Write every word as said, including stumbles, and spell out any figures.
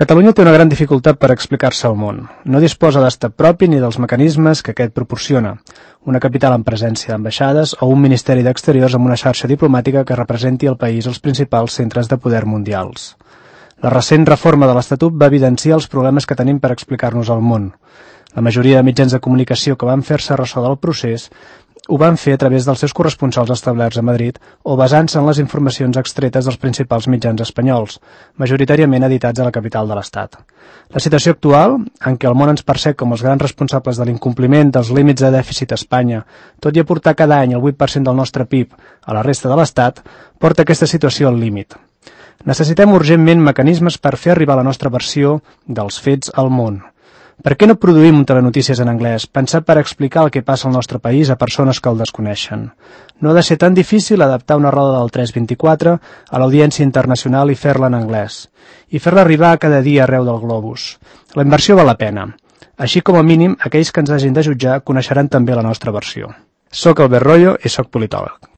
Catalunya té una gran dificultat per explicar-se al món. No disposa d'estat propi ni dels mecanismes que aquest proporciona. Una capital amb presència d'ambaixades o un Ministeri d'Exteriors amb una xarxa diplomàtica que representi el país als principals centres de poder mundials. La recent reforma de l'Estatut va evidenciar els problemes que tenim per explicar-nos al món. La majoria de mitjans de comunicació que van fer-se ressò del procés ho van fer a través dels seus corresponsals establerts a Madrid o basant-se en les informacions extretes dels principals mitjans espanyols, majoritàriament editats a la capital de l'Estat. La situació actual, en què el món ens percep com els grans responsables de l'incompliment dels límits de dèficit a Espanya, tot i aportar cada any el vuit per cent del nostre P I B a la resta de l'Estat, porta aquesta situació al límit. Necessitem urgentment mecanismes per fer arribar la nostra versió dels fets al món. Per què no produïm un telenotícies en anglès, pensat per explicar el que passa al nostre país a persones que el desconeixen? No ha de ser tan difícil adaptar una roda del tres vint-i-quatre a l'audiència internacional i fer-la en anglès, i fer-la arribar cada dia arreu del globus. La inversió val la pena. Així com a mínim, aquells que ens hagin de jutjar coneixeran també la nostra versió. Soc Albert Royo i soc politòleg.